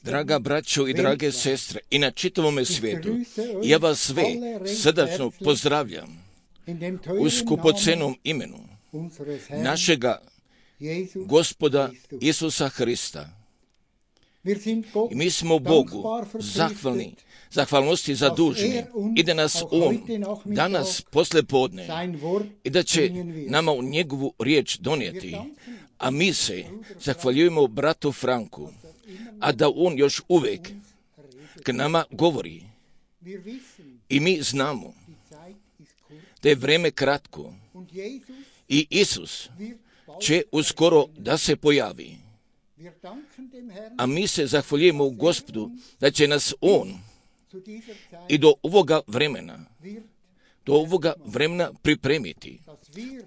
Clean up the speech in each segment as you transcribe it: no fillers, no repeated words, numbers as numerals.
Draga braćo i drage sestre, i na čitavome svijetu, ja vas sve srdačno pozdravljam u skupocenom imenu našega Gospoda Isusa Hrista. I mi smo Bogu zahvalnosti zaduženi i da nas On danas poslijepodne i da će nama u njegovu riječ donijeti, a mi se zahvaljujemo bratu Franku, a da on još uvijek k nama govori. I mi znamo da je vrijeme kratko i Isus će uskoro da se pojavi. A mi se zahvaljujemo Gospodu da će nas On i do ovoga vremena pripremiti,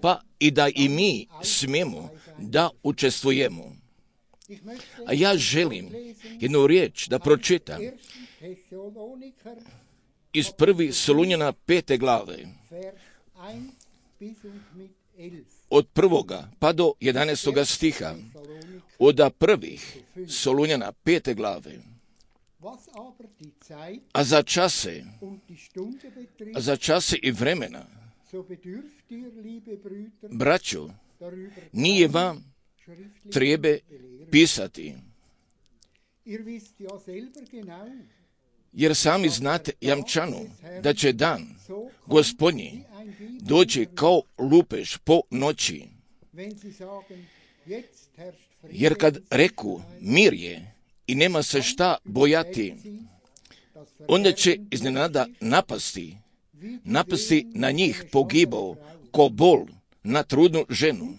pa i da i mi smijemo da učestvujemo. A ja želim jednu riječ da pročitam iz 1. Solunjana 5. glave, od 1. pa do 11. stiha, od prvih Solunjana 5. glave. A za čase i vremena, braćo, nije vam treba pisati, jer sami znate jamčano da će dan Gospodnji doći kao lupež po noći. Jer kad reku mir je i nema se šta bojati, onda će iznenada napasti na njih pogibao ko bol na trudnu ženu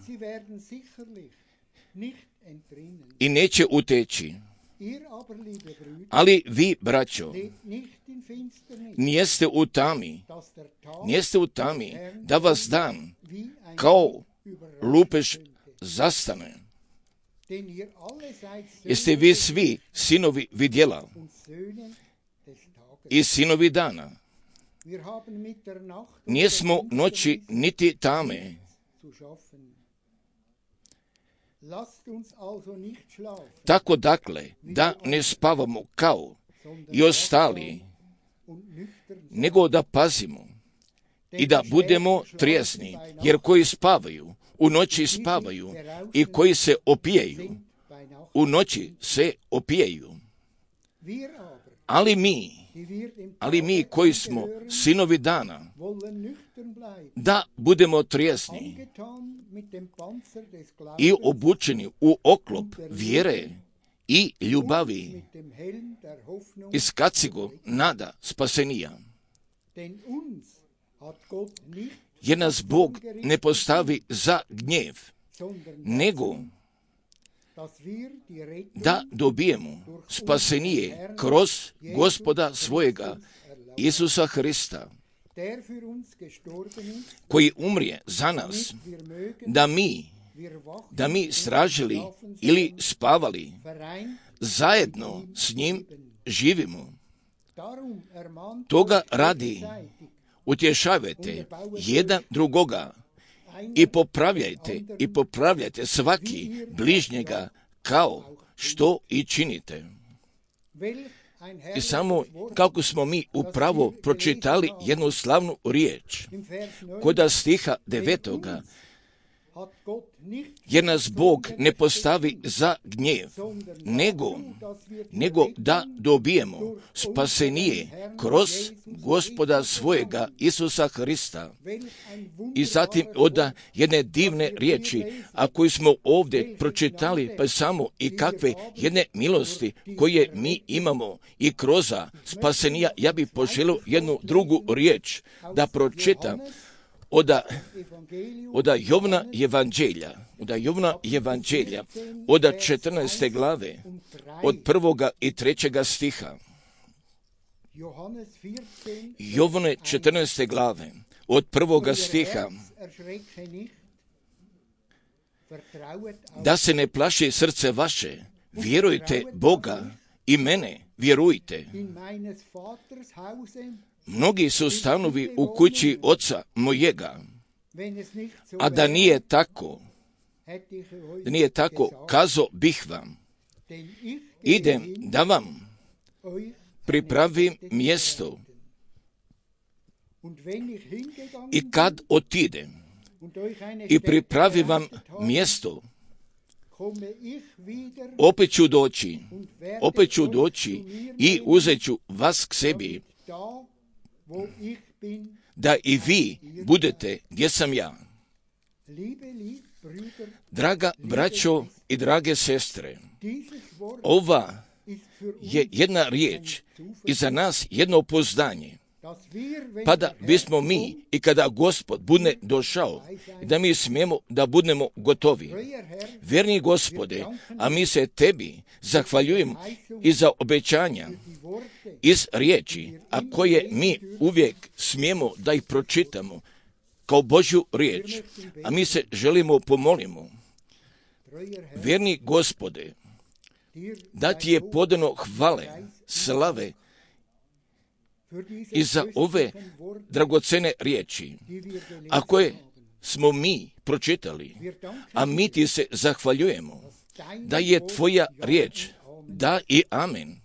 i neće uteći. Ali vi, braćo, nijeste u tami da vas dan kao lupež zastane. Jeste vi svi sinovi vidjela i sinovi dana. Nijesmo noći niti tame. Tako dakle, da ne spavamo kao i ostali, nego da pazimo i da budemo trijesni, jer koji spavaju, u noći spavaju, i koji se opijaju, u noći se opijaju. Ali mi koji smo sinovi dana, da budemo trijesni i obučeni u oklop vjere i ljubavi, iz kacigo nada spasenija. Jer nas Bog ne postavi za gnjev, nego da dobijemo spasenije kroz Gospoda svojega Isusa Hrista, koji umrije za nas, da mi stražili ili spavali, zajedno s njim živimo. Toga radi utješavajte jedan drugoga i popravljajte svaki bližnjega kao što i činite. I samo kako smo mi upravo pročitali jednu slavnu riječ kod stiha 9. Jer nas Bog ne postavi za gnjev, nego da dobijemo spasenije kroz Gospoda svojega Isusa Hrista. I zatim od jedne divne riječi, a koju smo ovdje pročitali, pa samo i kakve jedne milosti koje mi imamo i kroz spasenija, ja bih poželio jednu drugu riječ da pročitam od Jovna evanđelja, od 14. glave, od 1. i 3. stiha. Jovne 14. glave, od 1. stiha. Da se ne plaši srce vaše, vjerujte Boga i mene, vjerujte. Mnogi su stanovi u kući oca mojega, a da nije tako, Da nije tako, kazao bih vam, idem da vam pripravim mjesto. I kad otidem i pripravim vam mjesto, opet ću doći i uzet ću vas k sebi, da i vi budete gdje sam ja. Draga braćo i drage sestre, ova je jedna riječ i za nas jedno pouzdanje, pa da bismo mi i kada Gospod bude došao, da mi smijemo da budemo gotovi. Vjerni Gospode, a mi se tebi zahvaljujemo i za obećanja iz riječi, a koje mi uvijek smijemo da ih pročitamo kao Božju riječ, a mi se želimo pomolimo. Vjerni Gospode, da ti je podano hvale, slave i za ove dragocene riječi, a koje smo mi pročitali, a mi ti se zahvaljujemo da je tvoja riječ da i amen.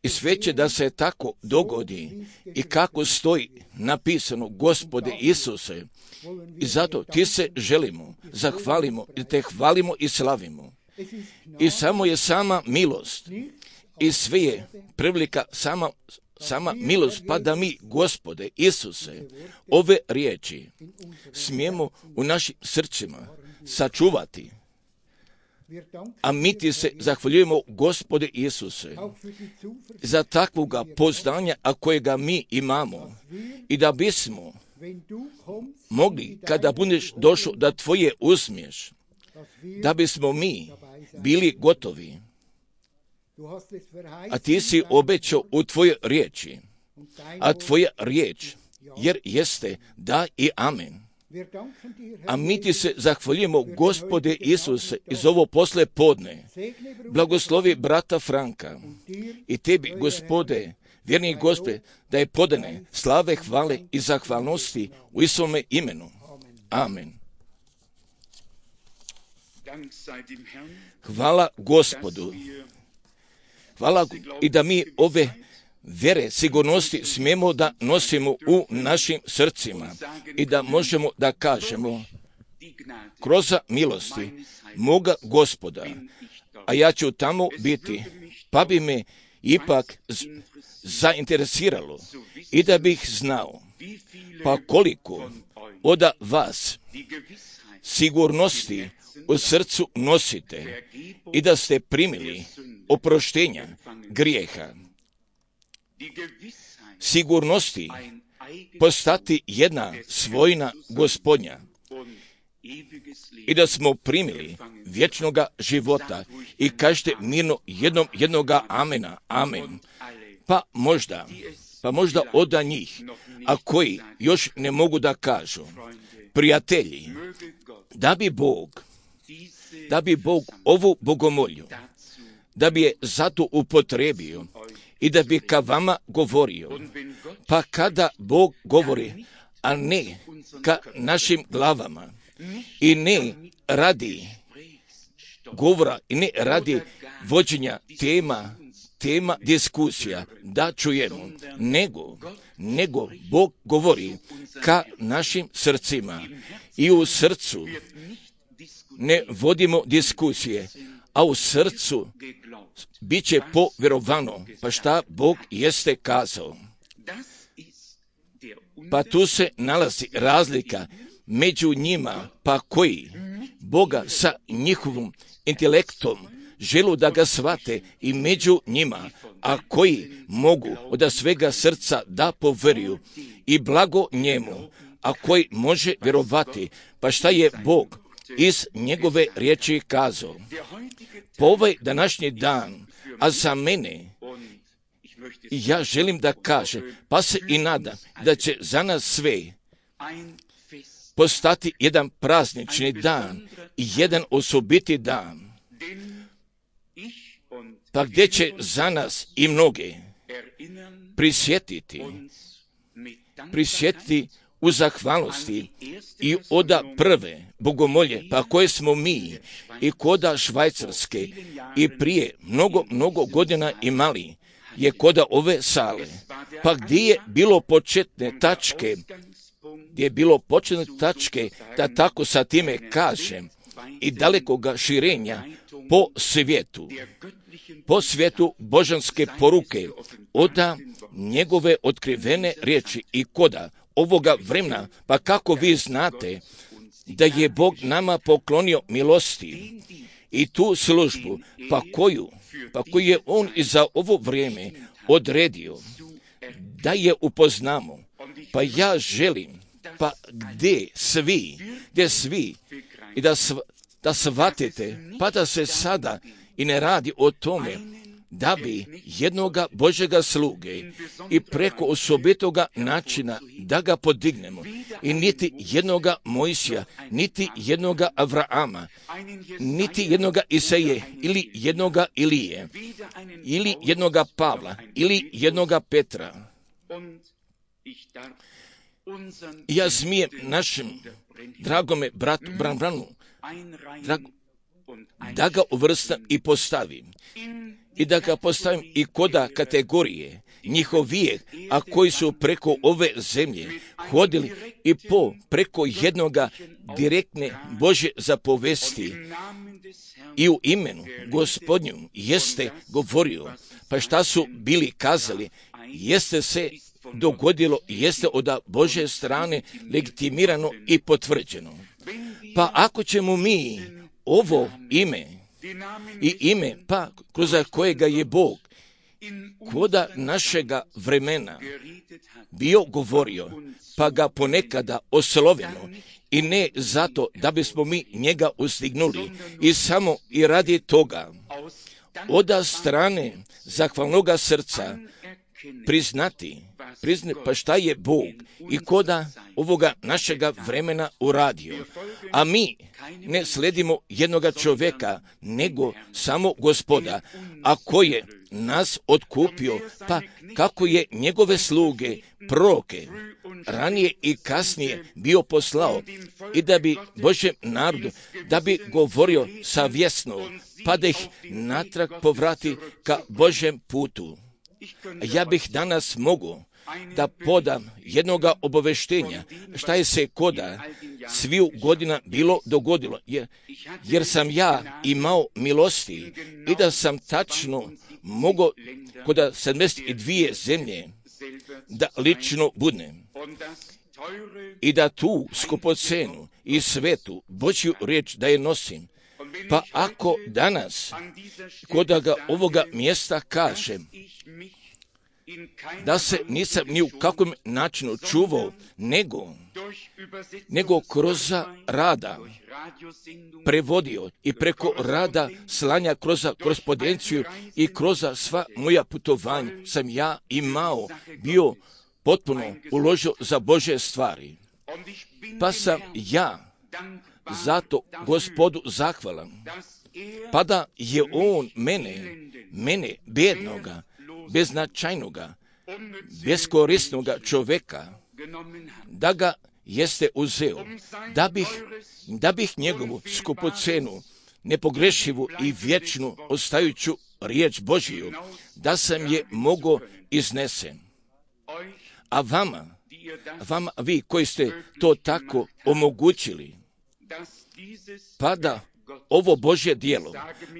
I sve će da se tako dogodi i kako stoji napisano, Gospode Isuse, i zato ti se želimo, zahvalimo i te hvalimo i slavimo. I samo je sama milost i sve je privlika sama milost, pa da mi, Gospode Isuse, ove riječi smijemo u našim srcima sačuvati. A mi ti se zahvaljujemo, Gospode Isuse, za takvoga poznanja, a kojega mi imamo, i da bismo mogli, kada budeš došao da tvoje uzmiješ, da bismo mi bili gotovi. A ti si obećao u tvojoj riječi, a tvoja riječ jer jeste da i amen. A mi ti se zahvaljujemo, Gospode Isuse, iz ovo posle podne. Blagoslovi brata Franka i tebi, Gospode, vjerni Gospode, da je podane slave, hvale i zahvalnosti u Isovome imenu. Amen. Hvala Gospodu. Hvala i da mi ove vjere, sigurnosti smijemo da nosimo u našim srcima i da možemo da kažemo kroz milosti moga Gospoda, a ja ću tamo biti, pa bi me ipak zainteresiralo i da bih znao, pa koliko od vas sigurnosti u srcu nosite i da ste primili oproštenja grijeha. Sigurnosti postati jedna svojina Gospodnja i da smo primili vječnoga života i kažete mirno jednoga amena, amen. Pa možda od njih, a koji još ne mogu da kažu, prijatelji, da bi Bog ovu bogomolju, da bi je zato upotrebio i da bi ka vama govorio. Pa kada Bog govori, a ne ka našim glavama i ne radi govora i ne radi vođenja tema diskusija, da čujemo, nego Bog govori ka našim srcima i u srcu ne vodimo diskusije, a u srcu bit će povjerovano, pa šta Bog jeste kazao. Pa tu se nalazi razlika među njima, pa koji Boga sa njihovim intelektom želu da ga shvate, i među njima, a koji mogu od svega srca da poveruju i blago njemu, a koji može vjerovati, pa šta je Bog iz njegove riječi kazao. Po ovaj današnji dan, a za mene, ja želim da kažem, pa se i nadam da će za nas sve postati jedan praznični dan i jedan osobiti dan, pa gdje će za nas i mnoge prisjetiti u zahvalnosti i oda prve bogomolje, pa koje smo mi i koda Švajcarske i prije mnogo godina imali, je koda ove sale. Pa gdje je bilo početne tačke, da tako sa time kažem, i dalekoga širenja po svijetu božanske poruke, oda njegove otkrivene riječi i koda ovoga vremena, pa kako vi znate da je Bog nama poklonio milosti i tu službu, pa koju je On i za ovo vrijeme odredio da je upoznamo. Pa ja želim, pa gdje svi i da shvatite, pa da se sada i ne radi o tome da bi jednoga Božjega sluge i preko osobitoga načina da ga podignemo, i niti jednoga Mojsija, niti jednoga Avraama, niti jednoga Isaije, ili jednoga Ilije, ili jednoga Pavla, ili jednoga Petra. Ja smijem našem dragome bratu Branbranu da ga uvrstam i postavim. I da ga postavim i koda kategorije njihovije, a koji su preko ove zemlje hodili i preko jednoga direktne Božje zapovesti i u imenu Gospodnjom jeste govorio, pa šta su bili kazali, jeste se dogodilo, jeste od Božje strane legitimirano i potvrđeno. Pa ako ćemo mi ovo ime, pa kroz kojega je Bog koda našega vremena bio govorio, pa ga ponekada oslovimo, i ne zato da bismo mi njega ustignuli, i samo i radi toga oda strane zahvalnoga srca priznati pa šta je Bog i koda ovoga našega vremena uradio. A mi ne sledimo jednoga čovjeka, nego samo Gospoda, a koji je nas otkupio, pa kako je njegove sluge, proroke, ranije i kasnije bio poslao, i da bi Božjem narodu, da bi govorio savjesno, pa da ih natrag povrati ka Božjem putu. Ja bih danas mogu da podam jednoga obaveštenja šta je se koda sviju godina bilo dogodilo, jer sam ja imao milosti i da sam tačno mogao koda 72 zemlje da lično budem i da tu skupocenu i svetu Božju riječ da je nosim. Pa ako danas koda ga ovoga mjesta kažem da se nisam ni u kakvom načinu čuvao, nego kroz rada prevodio i preko rada slanja kroz korespondenciju i kroz sva moja putovanja sam ja imao, bio potpuno uložio za Božje stvari. Pa sam ja zato Gospodu zahvalan, pa da je On mene bednoga, beznačajnoga, beskorisnoga čovjeka, da ga jeste uzeo, da bih njegovu skupocenu, nepogrešivu i vječnu ostajuću riječ Božiju, da sam je mogao iznesen. A vama, vi koji ste to tako omogućili, pa da ovo Božje djelo,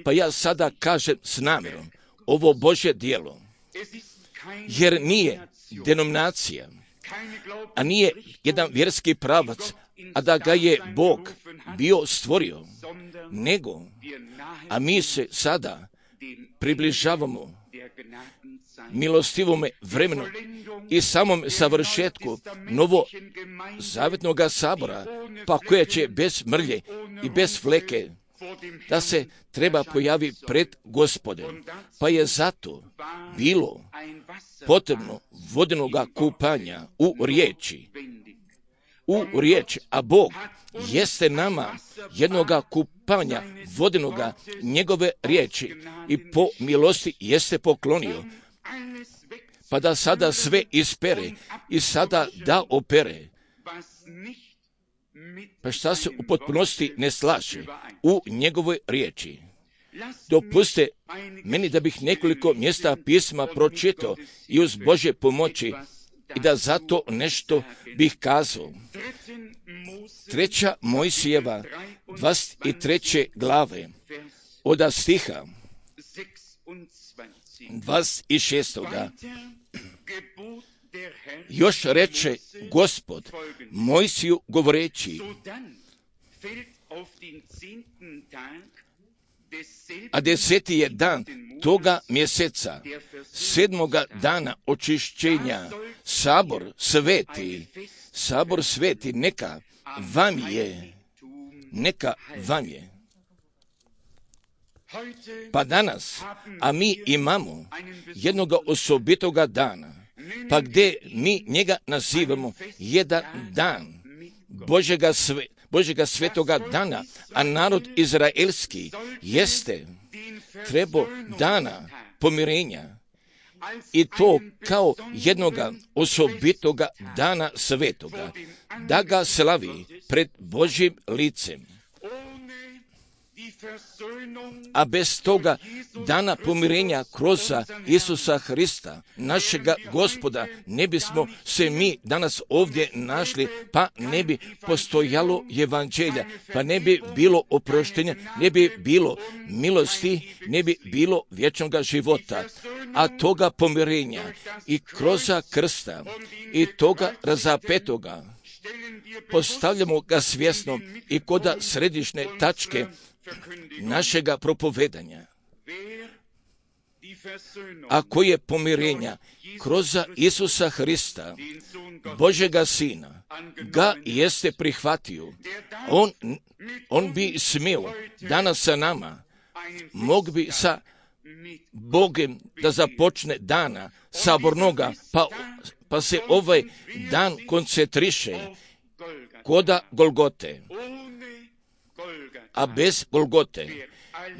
pa ja sada kažem s namjerom, ovo Božje djelo, jer nije denominacija, a nije jedan vjerski pravac, a da ga je Bog bio stvorio, nego, a mi se sada približavamo milostivome vremenu i samom savršetku novozavjetnoga sabora, pa koja će bez mrlje i bez fleke da se treba pojavi pred Gospodem. Pa je zato bilo potrebno vodenoga kupanja u riječi, a Bog jeste nama jednoga kupanja vodenoga njegove riječi i po milosti jeste poklonio, pa da sada sve ispere i sada da opere, pa šta se u potpunosti ne slaže u njegovoj riječi. Dopuste meni da bih nekoliko mjesta pisma pročitao i uz Božje pomoći i da zato nešto bih kazao. 3. Mojsijeva 23. glave od stiha 26. Još reče Gospod Mojsiju govoreći, a 10. je dan toga mjeseca, 7. dana očišćenja, sabor sveti, neka vam je. Pa danas, a mi imamo jednoga osobitoga dana, pa gdje mi njega nazivamo jedan dan Božjega svetoga dana, a narod izraelski jeste trebao dana pomirenja i to kao jednoga osobitoga dana svetoga, da ga slavi pred Božjim licem. A bez toga dana pomirenja kroz Isusa Hrista, našega Gospoda, ne bismo se mi danas ovdje našli, pa ne bi postojalo evanđelja, pa ne bi bilo oproštenja, ne bi bilo milosti, ne bi bilo vječnog života. A toga pomirenja i kroz krsta i toga razapetoga postavljamo ga svjesno i kod središnje tačke našega propovedanja. Ako je pomirenja kroz Isusa Hrista, Božega Sina, ga jeste prihvatio, on bi smio danas sa nama, mog bi sa Bogem da započne dana sabornoga, pa se ovaj dan koncentriše koda Golgote. A bez Golgote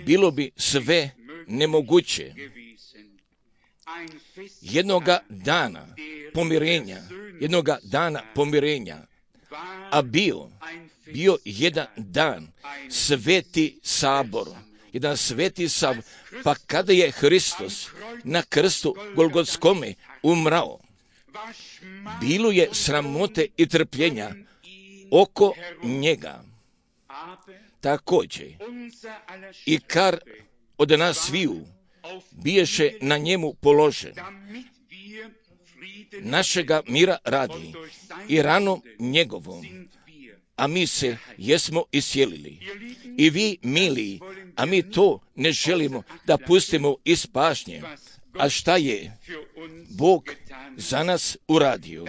bilo bi sve nemoguće. Jednoga dana pomirenja, a bio jedan dan sveti sabor, pa kada je Hristos na krstu Golgotskome umrao, bilo je sramote i trpljenja oko njega. Također, i kar od nas sviju biješe na njemu položen, našega mira radi i ranom njegovom, a mi se jesmo iscijelili. I vi, mili, a mi to ne želimo da pustimo iz pažnje. A šta je Bog za nas uradio?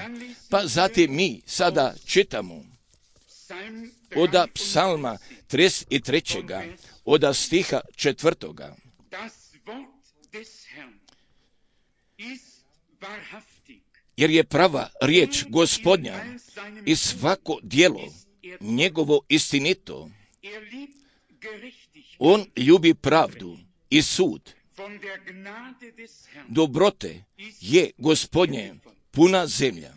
Pa zatim mi sada čitamo od psalma 33. od stiha 4. Jer je prava riječ Gospodnja i svako djelo njegovo istinito. On ljubi pravdu i sud. Dobrote je Gospodnje puna zemlja.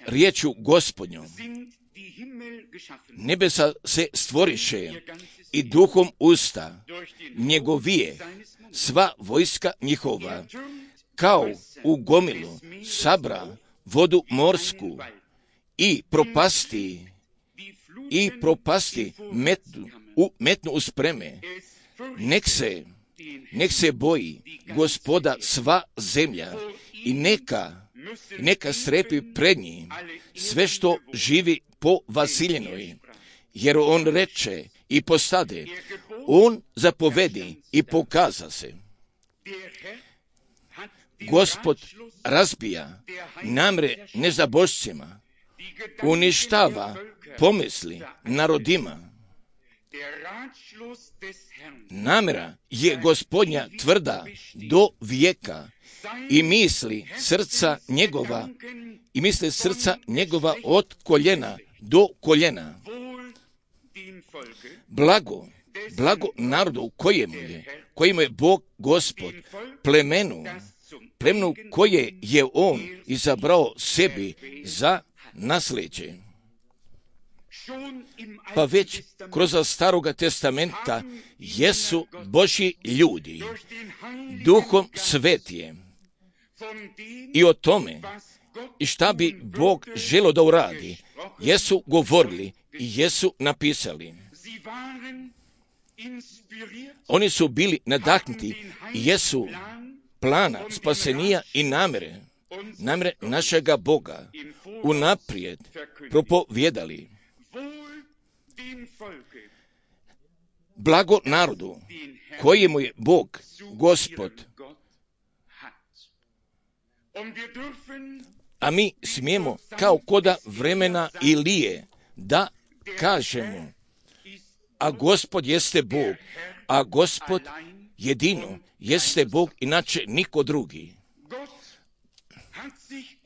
Riječu Gospodnjom nebesa se stvoriše i duhom usta njegovije sva vojska njihova, kao u gomilu sabra vodu morsku i propasti metnu u spreme. Nek se boji Gospoda sva zemlja i neka strepi pred njim sve što živi po vasiljenoj, jer on reče i postade, on zapovedi i pokaza se. Gospod razbija namre nezabožcima, uništava pomisli narodima. Namjera je Gospodnja tvrda do vijeka i misli srca njegova od koljena do koljena. Blago narodu kojemu je Bog Gospod, plemenu koje je on izabrao sebi za nasljeđe. Pa već kroz Staroga testamenta jesu Božji ljudi, Duhom Svetijem, i o tome i šta bi Bog želio da uradi, jesu govorili i jesu napisali. Oni su bili nadahnuti i jesu plana spasenija i namere našega Boga unaprijed propovjedali. Blago narodu kojemu je Bog, Gospod. A mi smijemo kao koda vremena Ilije da kažemo, a Gospod jeste Bog, a Gospod jedino jeste Bog, inače niko drugi.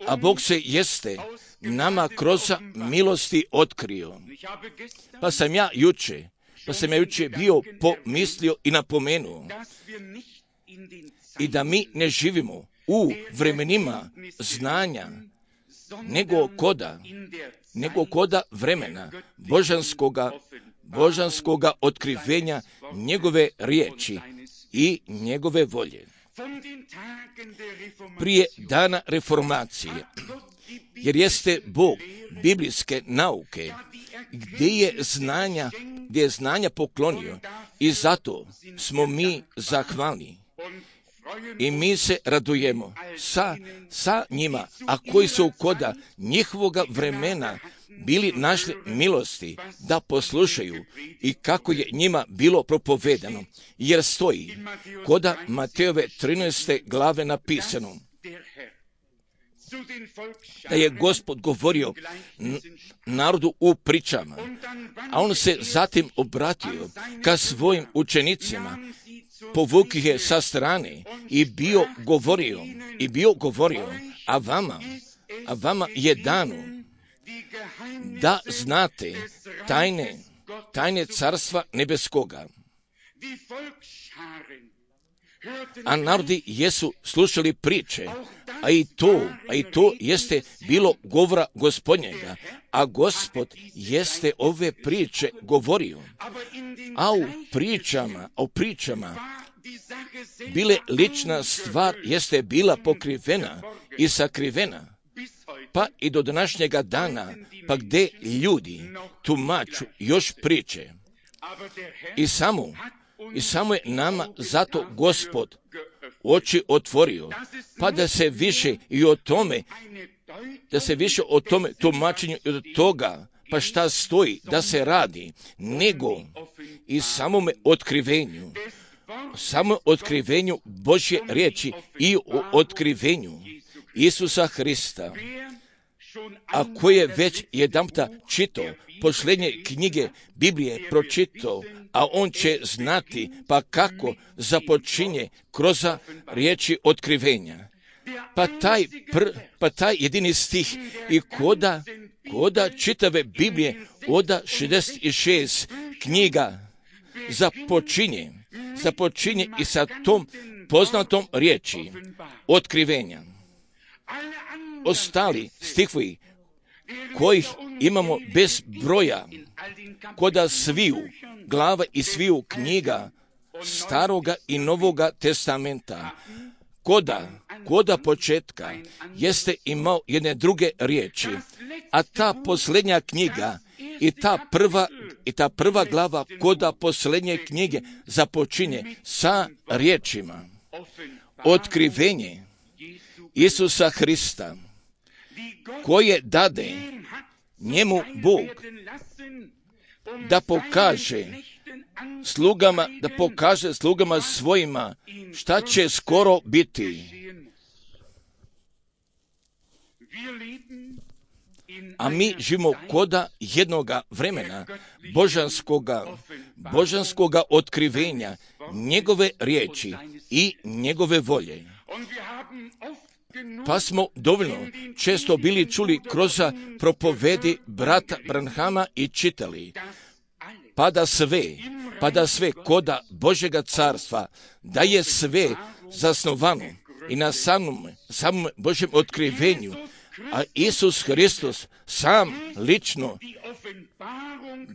A Bog se jeste nama kroz milosti otkrio. Pa sam ja juče bio pomislio i napomenuo i da mi ne živimo u vremenima znanja, nego koda vremena božanskoga otkrivenja njegove riječi i njegove volje. Prije dana reformacije, jer jeste Bog biblijske nauke, gdje je znanja poklonio, i zato smo mi zahvalni. I mi se radujemo sa njima, a koji su koda njihovoga vremena bili našli milosti da poslušaju i kako je njima bilo propovedano, jer stoji koda Matejove 13. glave napisano da je Gospod govorio narodu u pričama, a on se zatim obratio ka svojim učenicima, povukio je sa strane i bio govorio, a vama je dano da znate tajne carstva nebeskoga. A narodi jesu slušali priče, a i to jeste bilo govora Gospodnjega, a Gospod jeste ove priče govorio. A u pričama bile lična stvar jeste bila pokrivena i sakrivena, pa i do današnjega dana, pa gdje ljudi tumaču još priče. I samo je nama zato Gospod oči otvorio, pa da se više o tome tumačenju i od toga, pa šta stoji da se radi, nego i samome otkrivenju Božje riječi i o otkrivenju Isusa Hrista. A ko je već jedanputa čitao posljednje knjige Biblije pročitao, a on će znati pa kako započinje kroz riječi otkrivenja. Pa taj jedini stih i koda čitave Biblije od 66 knjiga započinje i sa tom poznatom riječi otkrivenja. Ostali stihovi kojih imamo bez broja koda sviju glava i sviju knjiga Staroga i Novoga testamenta, koda početka jeste imao jedne druge riječi, a ta posljednja knjiga i ta prva glava koda posljednje knjige započinje sa riječima otkrivenje Isusa Hrista, koje dade njemu Bog da pokaže slugama svojima šta će skoro biti. A mi živimo koda jednoga vremena božanskoga otkrivenja, njegove riječi i njegove volje. Pa smo dovoljno često bili čuli kroz propovedi brata Branhama i čitali, pa da sve koda Božjega carstva, da je sve zasnovano i na samom Božjem otkrivenju, A Isus Hristos sam lično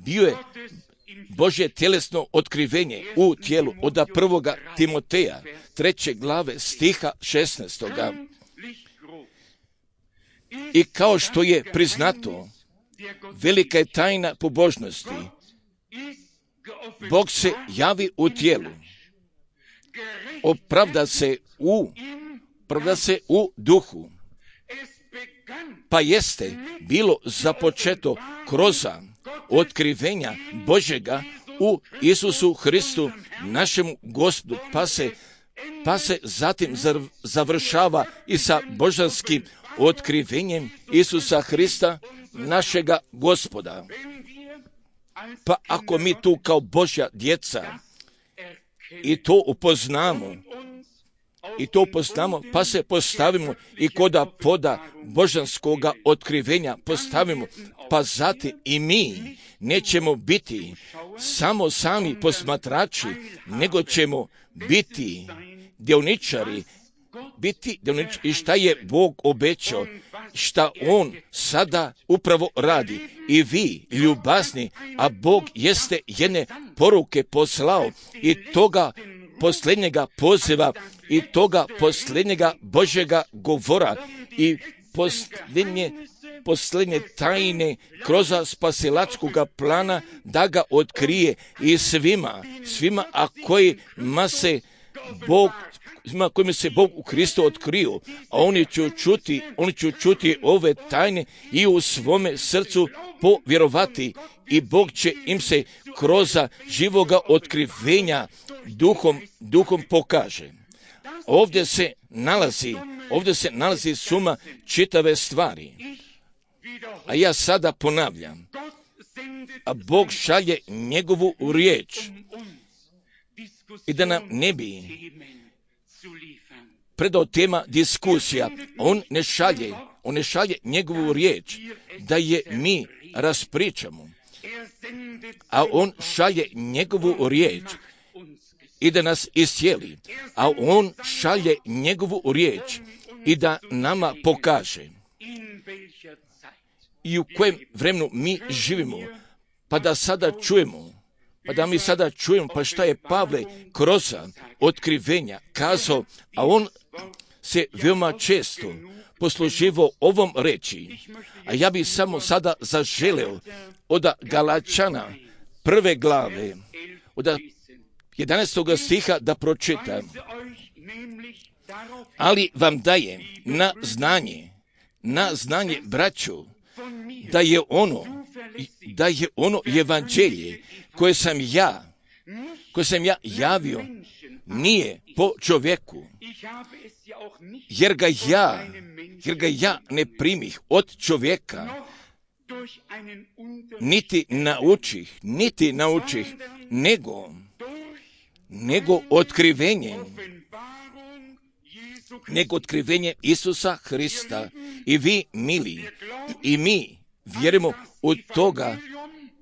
bio je Božje tjelesno otkrivenje u tijelu od 1. Timoteja 3. glave stiha 16. I kao što je priznato, velika je tajna pobožnosti. Bog se javi u tijelu, opravda se u duhu, pa jeste bilo započeto kroz otkrivenja Božjega u Isusu Hristu, našemu Gospodu, pa se zatim završava i sa božanskim otkrivenjem Isusa Hrista, našega Gospoda. Pa ako mi tu kao Božja djeca i to upoznamo, pa se postavimo i koda poda božanskoga otkrivenja postavimo, pa zatim i mi nećemo biti samo sami posmatrači, nego ćemo biti dioničari i šta je Bog obećao, šta On sada upravo radi. I vi, ljubazni, a Bog jeste jedne poruke poslao i toga posljednjega poziva i toga posljednjega Božjega govora i posljednje tajne kroz spasilačkoga plana da ga otkrije i svima, a kojima se Bog u Kristu otkrio, a oni će čuti ove tajne i u svome srcu povjerovati i Bog će im se kroz živoga otkrivenja duhom pokaže. Ovdje se nalazi suma čitave stvari. A ja sada ponavljam, a Bog šalje njegovu riječ i da nam ne bi predao tema diskusija. On ne šalje njegovu riječ da je mi raspričamo, a on šalje njegovu riječ i da nas iscijeli, a on šalje njegovu riječ i da nama pokaže i u kojem vremenu mi živimo, pa da mi sada čujemo, pa šta je Pavle kroz otkrivenja kazao, a on se veoma često posluživao ovom reči, a ja bih samo sada zaželeo od Galačana 1. glave, od 11. stiha da pročitam. Ali vam daje na znanje, braćo, da je ono evanđelje koje sam ja javio, nije po čovjeku, jer ga ja ne primih od čovjeka, niti naučih, nego otkrivenje Isusa Hrista. I vi, mili, i mi vjerujemo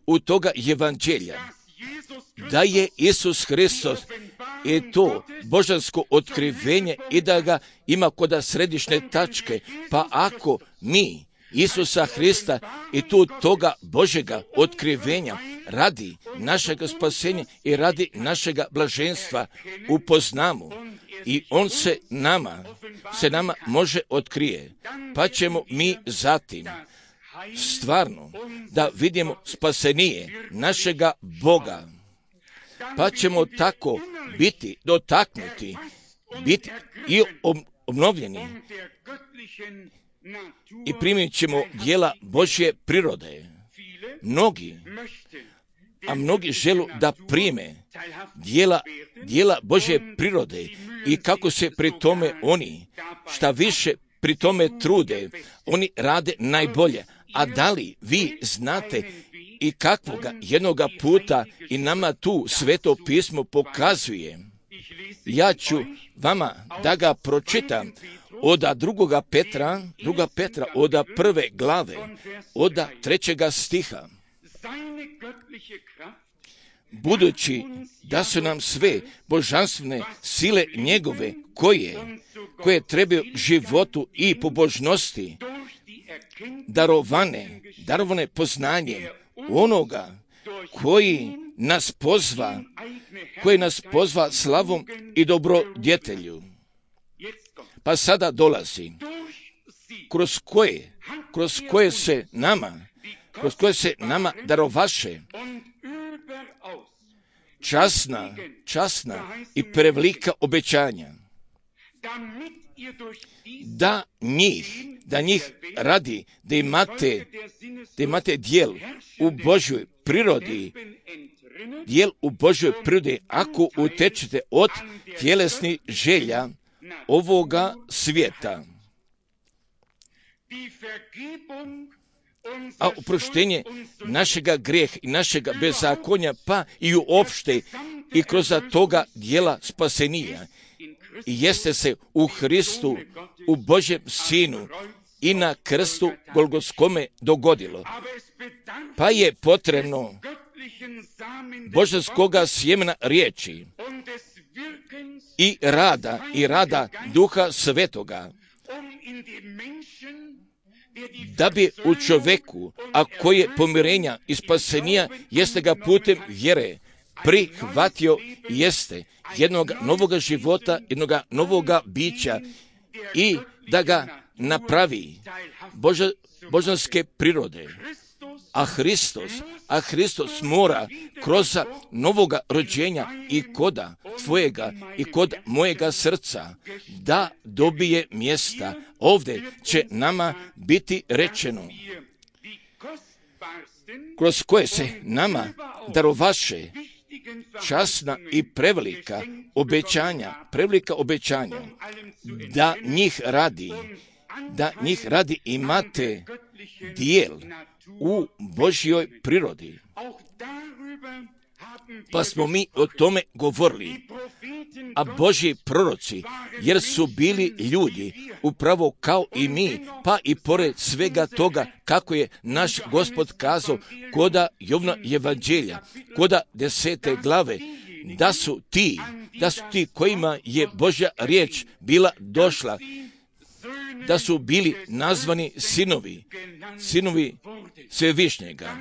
u toga evanđelja, da je Isus Hristos i to božansko otkrivenje i da ga ima kod središnje tačke. Pa ako mi Isusa Hrista i tu toga Božjega otkrivenja radi našega spasenja i radi našega blaženstva upoznamo i on se nama može otkrije, pa ćemo mi zatim stvarno da vidimo spasenije našega Boga, pa ćemo tako biti dotaknuti, biti i obnovljeni i primit ćemo djela Božje prirode. Mnogi žele da prime djela Božje prirode i kako se pri tome oni šta više pri tome trude, oni rade najbolje. A da li vi znate i kakvoga jednoga puta i nama tu Sveto pismo pokazuje? Ja ću vama da ga pročitam od 2. Petra od 1. glave, od 3. stiha. Budući da su nam sve božanstvene sile njegove koje trebaju životu i pobožnosti darovane poznanjem onoga koji nas pozva slavom i dobrodjetelju. Pa sada dolazi, kroz koje se nama darovaše časna i prevelika obećanja, da njih radi, da imate dijel u Božjoj prirodi, ako utečete od tjelesnih želja ovoga svijeta. A oproštenje našega grijeha i našega bezakonja, pa i uopšte i kroz toga dijela spasenija, i jeste se u Hristu, u Božjem Sinu i na krstu Golgotskome dogodilo. Pa je potrebno božanskoga sjemena riječi i rada Duha Svetoga, da bi u čoveku, a koje pomirenja i spasenija jeste ga putem vjere prihvatio, jeste jednog novoga života, jednog novoga bića, i da ga napravi božanske prirode. A Hristos mora kroz novoga rođenja i koda tvojega i kod mojega srca da dobije mjesta. Ovdje će nama biti rečeno, kroz koje se nama darovaše časna i prevelika obećanja, da njih radi imate dijel u Božjoj prirodi. Pa smo mi o tome govorili. A Božji proroci, jer su bili ljudi, upravo kao i mi, pa i pored svega toga, kako je naš Gospod kazao koda Jovna evanđelja, koda 10. glave, da su ti kojima je Božja riječ bila došla, da su bili nazvani sinovi Svevišnjega,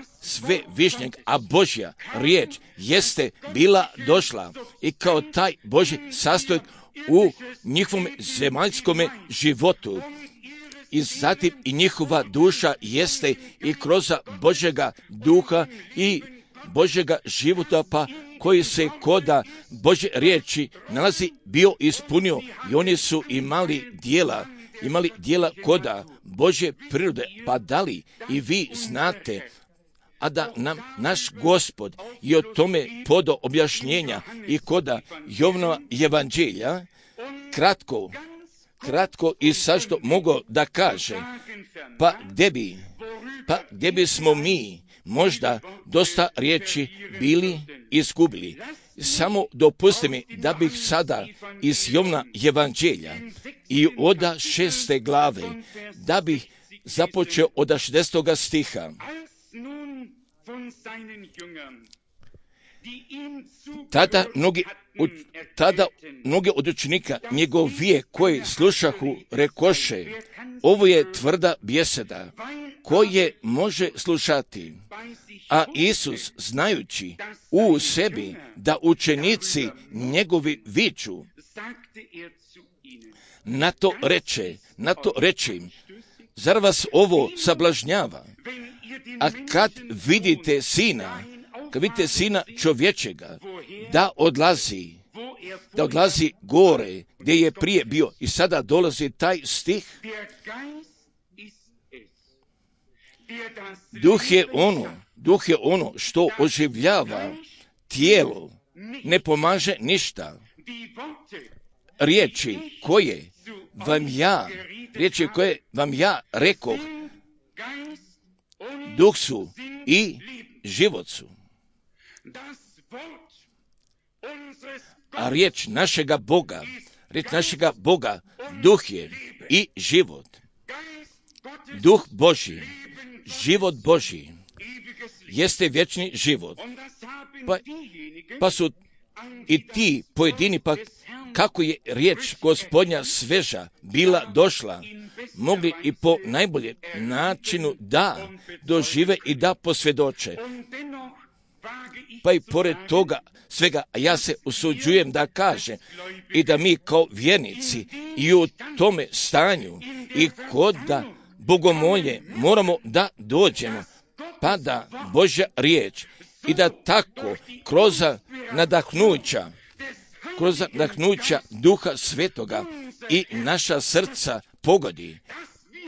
a Božja riječ jeste bila došla i kao taj Božji sastojak u njihovom zemaljskom životu. I zatim i njihova duša jeste i kroz Božjega duha i Božjega života, pa koji se koda Božje riječi nalazi, bio ispunio, i oni su imali dijela koda Božje prirode. Pa da li i vi znate, a da nam naš Gospod i o tome podo objašnjenja i koda Jovnova evanđelja kratko i sašto mogao da kaže, pa gdje bismo mi možda dosta riječi bili izgubili. Samo dopusti mi da bih sada iz Jovna evanđelja i od 6. glave, da bih započeo od 60. stiha. Tada mnogi od učenika njegovije koji slušahu rekoše, ovo je tvrda bjeseda, koje može slušati. A Isus, znajući u sebi da učenici njegovi viču, na to reče im, zar vas ovo sablažnjava? A kad vidite sina čovječega, da odlazi gore gdje je prije bio. I sada dolazi taj stih. Duh je ono što oživljava tijelo, ne pomaže ništa. Riječi koje vam ja rekoh, duh su i život su. A riječ našega Boga, duh je i život. Duh Božji, život Božji, jeste vječni život. Pa su i ti pojedini, pa kako je riječ Gospodnja sveža bila došla, mogli i po najboljem načinu da dožive i da posvjedoče. Pa i pored toga svega, ja se usuđujem da kažem i da mi kao vjernici i u tome stanju i kod da bogomolje moramo da dođemo, pa da Božja riječ i da tako kroz nadahnuća Duha Svetoga i naša srca pogodi,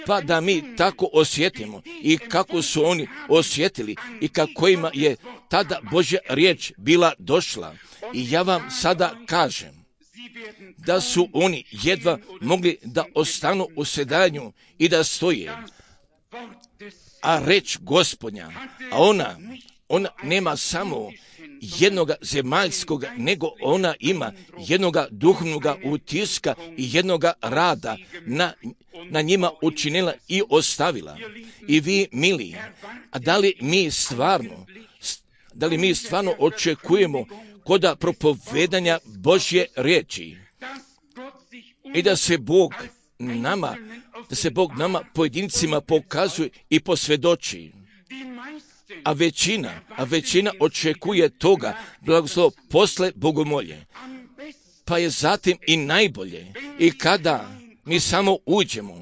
pa da mi tako osjetimo i kako su oni osjetili i kako ima je tada Božja riječ bila došla. I ja vam sada kažem da su oni jedva mogli da ostanu u sedanju i da stoje. A reč Gospodnja, a ona nema samo jednoga zemaljskog, nego ona ima jednoga duhovnoga utiska i jednoga rada na njima učinila i ostavila. I vi, mili, a da li mi stvarno očekujemo kod propovedanja Božje riječi i da se Bog nama pojedincima pokazuje i posvjedoči. A većina očekuje toga blagoslov posle bogomolje. Pa je zatim i najbolje i kada mi samo uđemo,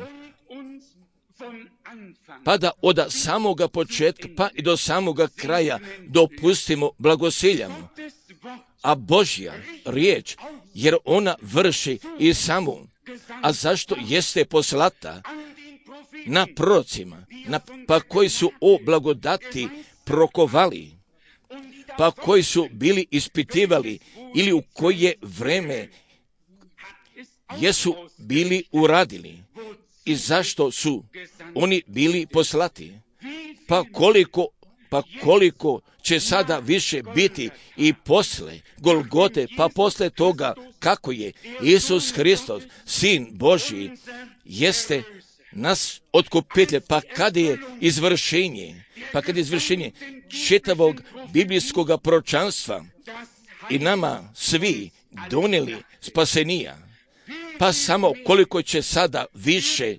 pa da od samoga početka pa i do samoga kraja dopustimo blagosiljamo. A Božja riječ, jer ona vrši i samu, a zašto jeste poslata na prorocima, pa koji su o blagodati prokovali, pa koji su bili ispitivali ili u koje vreme jesu bili uradili i zašto su oni bili poslati, pa koliko će sada više biti i posle Golgote, pa posle toga kako je Isus Hristos, Sin Božji, jeste nas otkupitelj, pa kada je izvršenje čitavog biblijskog proročanstva i nama svi donijeli spasenija, pa samo koliko će sada više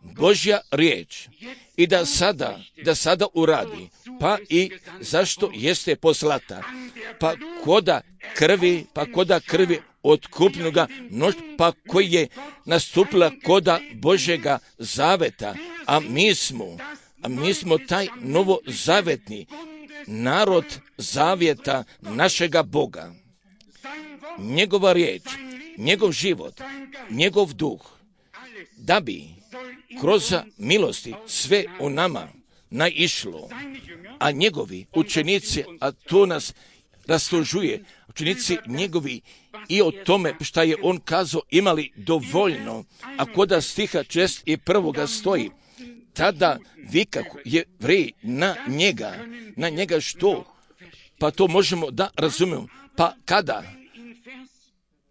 Božja riječ i da sada uradi, pa i zašto jeste poslata, pa koda krvi otkupnoga mnoštva, pa koji je nastupila koda Božjega zaveta, a mi smo taj novozavetni narod zavjeta našega Boga. Njegova riječ, njegov život, njegov duh, da bi kroz milosti sve u nama naišlo, a njegovi učenici, a to nas raslužuje, učenici njegovi i o tome šta je on kazao imali dovoljno, a koda stiha 61. stoji, tada vikahu Jevreji na njega što? Pa to možemo da razumijemo. Pa kada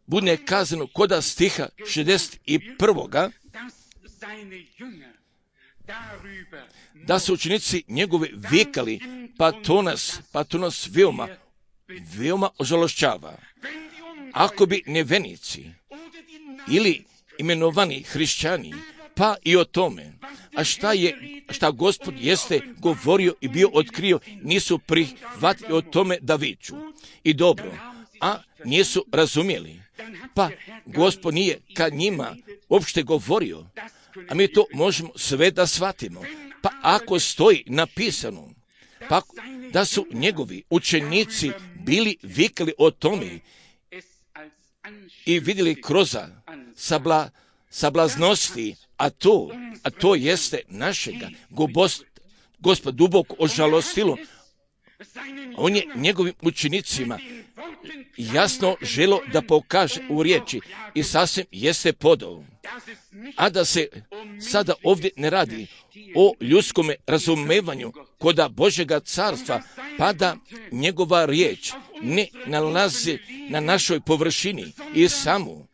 bude kazano koda stiha 61. da su učenici njegovi vikali, pa to nas veoma ožalošćava. Ako bi nevenici ili imenovani hrišćani, pa i o tome, a šta Gospod jeste govorio i bio otkrio, nisu prihvatili o tome da viču. I dobro, a nisu razumjeli. Pa Gospod nije kad njima uopšte govorio, a mi to možemo sve da shvatimo. Pa ako stoji napisano, pa da su njegovi učenici bili vikali o tome i vidjeli kroz sablaznosti, a to jeste našega Gospod duboko ožalostilo. On je njegovim učenicima jasno želo da pokaže u riječi i sasvim jeste podao. A da se sada ovdje ne radi o ljudskom razumevanju koda Božjega carstva, pa da njegova riječ ne nalazi na našoj površini i samo,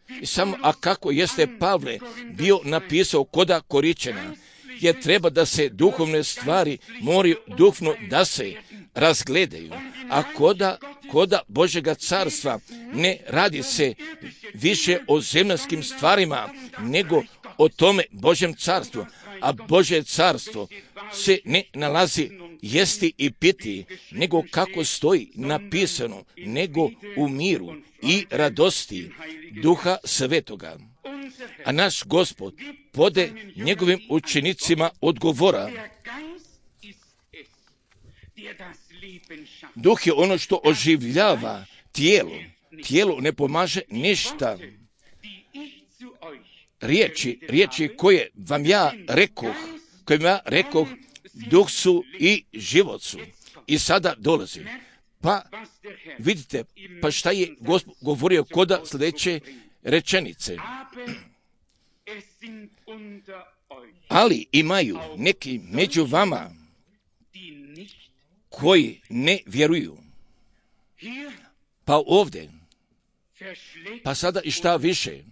a kako jeste Pavle bio napisao koda Koričana, je treba da se duhovne stvari moraju duhovno da se razgledaju, a koda Božjega carstva ne radi se više o zemaljskim stvarima, nego o tome Božjem carstvu, a Božje carstvo se ne nalazi jesti i piti, nego kako stoji napisano, nego u miru i radosti Duha Svetoga. A naš Gospod pode njegovim učenicima odgovora. Duh je ono što oživljava tijelo. Tijelo ne pomaže ništa. Riječi koje vam ja rekoh, duh su i život su. I sada dolazi. Pa vidite, pa šta je Gospod govorio kod sljedeće rečenice. Ali imaju neki među vama koji ne vjeruju. Pa ovdje, pa sada i šta više,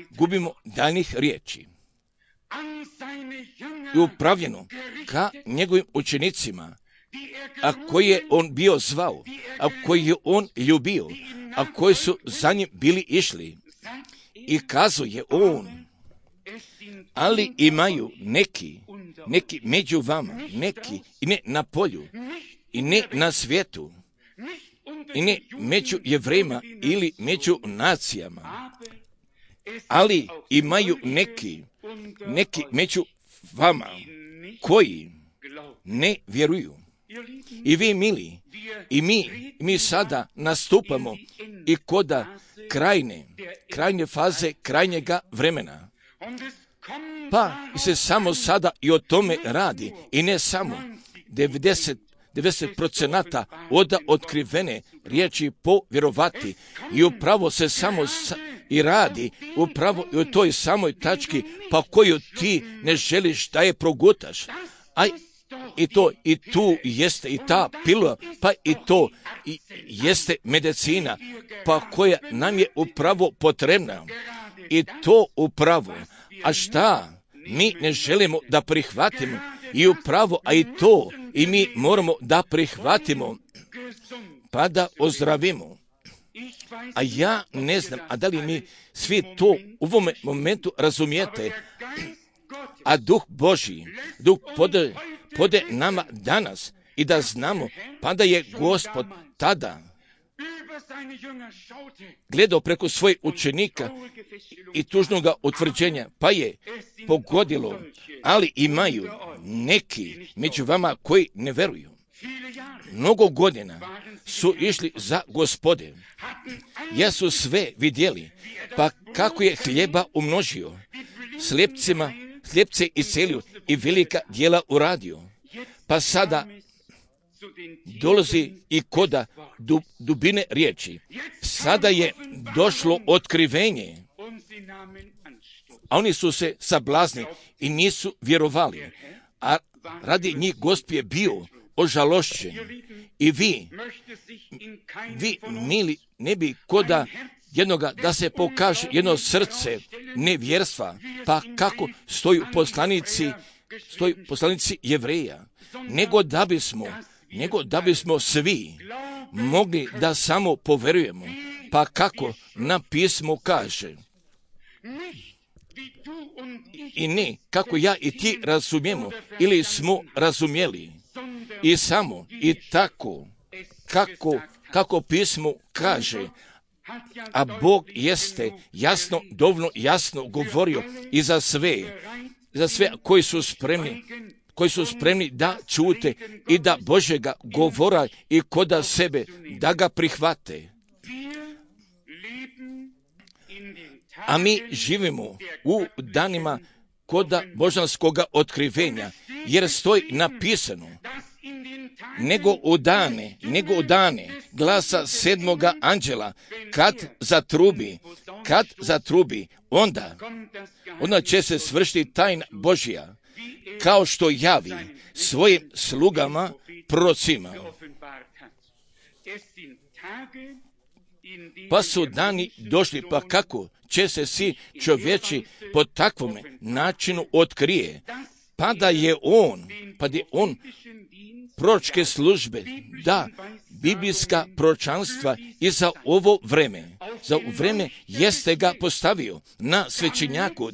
gubimo daljnih riječi. I upravljeno ka njegovim učenicima, a koji je on bio zvao, a koji je on ljubio, a koji su za njim bili išli. I kazuje on, ali imaju neki među vama, neki i ne na polju, i ne na svijetu, i ne među Jevrejima ili među nacijama, ali imaju neki među vama koji ne vjeruju. I vi, mili, i mi sada nastupamo i koda krajnje faze krajnjega vremena. Pa se samo sada i o tome radi, i ne samo 90% od otkrivene riječi povjerovati, i upravo se samo i radi upravo i o toj samoj tački pa koju ti ne želiš da je progutaš. I tu jeste i ta pilula, pa i to i jeste medicina, pa koja nam je upravo potrebna. I to upravo. A šta mi ne želimo da prihvatimo? I upravo, a i to i mi moramo da prihvatimo, pa da ozdravimo. A ja ne znam, a da li mi svi to u ovom momentu razumijete? A Duh Božji, Duh pode nama danas i da znamo, pa da je Gospod tada gledao preko svojih učenika i tužnoga utvrđenja, pa je pogodilo, ali imaju neki među vama koji ne veruju. Mnogo godina su išli za Gospode, jesu sve vidjeli, pa kako je hljeba umnožio, slijepce iscelio i velika djela uradio. Pa sada dolazi i koda dubine riječi. Sada je došlo otkrivenje, a oni su se sablazni i nisu vjerovali. A radi njih Gospod je bio ožalošćen. I vi, mili, ne bi koda jednoga da se pokaže jedno srce nevjerstva, pa kako stoju poslanici Jevreja, nego da bismo svi mogli da samo poverujemo, pa kako na pismu kaže. I ne kako ja i ti razumijemo ili smo razumjeli, i samo i tako kako pismo kaže. A Bog jeste dovoljno jasno govorio i za sve koji su spremni da čute i da Božjega govora i koda sebe da ga prihvate. A mi živimo u danima koda božanskoga otkrivenja, jer stoji napisano, nego u dane glasa sedmoga anđela, kad zatrubi, onda će se svršiti tajna Božja, kao što javi svojim slugama prorocima. Pa su dani došli, pa kako će se svi čovječi po takvom načinu otkrije, pa da je on proročke službe biblijska proročanstva i za ovo vreme. Za vreme jeste ga postavio na svećenjaku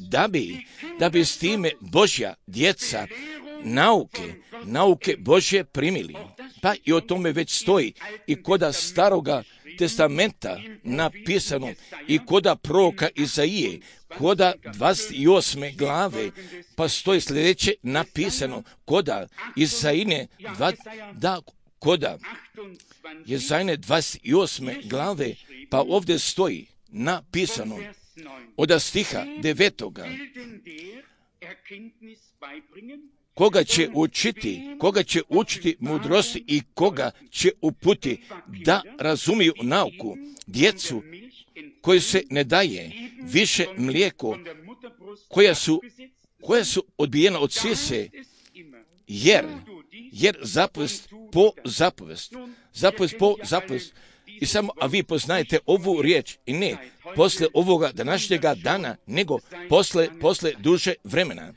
da bi s time Božja djeca nauke Božje primili. Pa i o tome već stoji i koda Staroga testamenta napisano i koda proroka Izaije, koda 28. glave, pa stoji sljedeće napisano, koda Izaine, koda Izaine 28. glave, pa ovdje stoji napisano od stiha 9. Koga će učiti mudrosti i koga će uputi da razumiju nauku, djecu koji se ne daje više mlijeko, koja su odbijena od sise, jer zapovest po zapovest. I samo, a vi poznajete ovu riječ, i ne posle ovoga današnjega dana, nego posle duže vremena.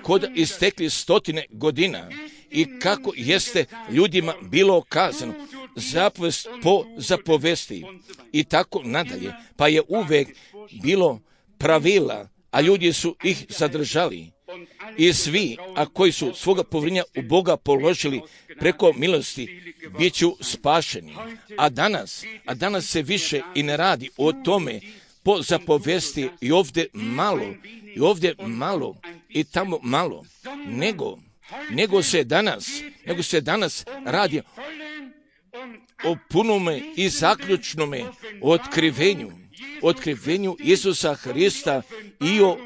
Koda istekli 100 godina i kako jeste ljudima bilo kazano, zapovest po zapovesti i tako nadalje. Pa je uvek bilo pravila, a ljudi su ih zadržali. I svi, a koji su svoga povjerenja u Boga položili preko milosti, bit ću spašeni. A danas se više i ne radi o tome po zapovesti i ovdje malo i tamo malo, nego se danas radi o punome i zaključnome otkrivenju Isusa Hrista i o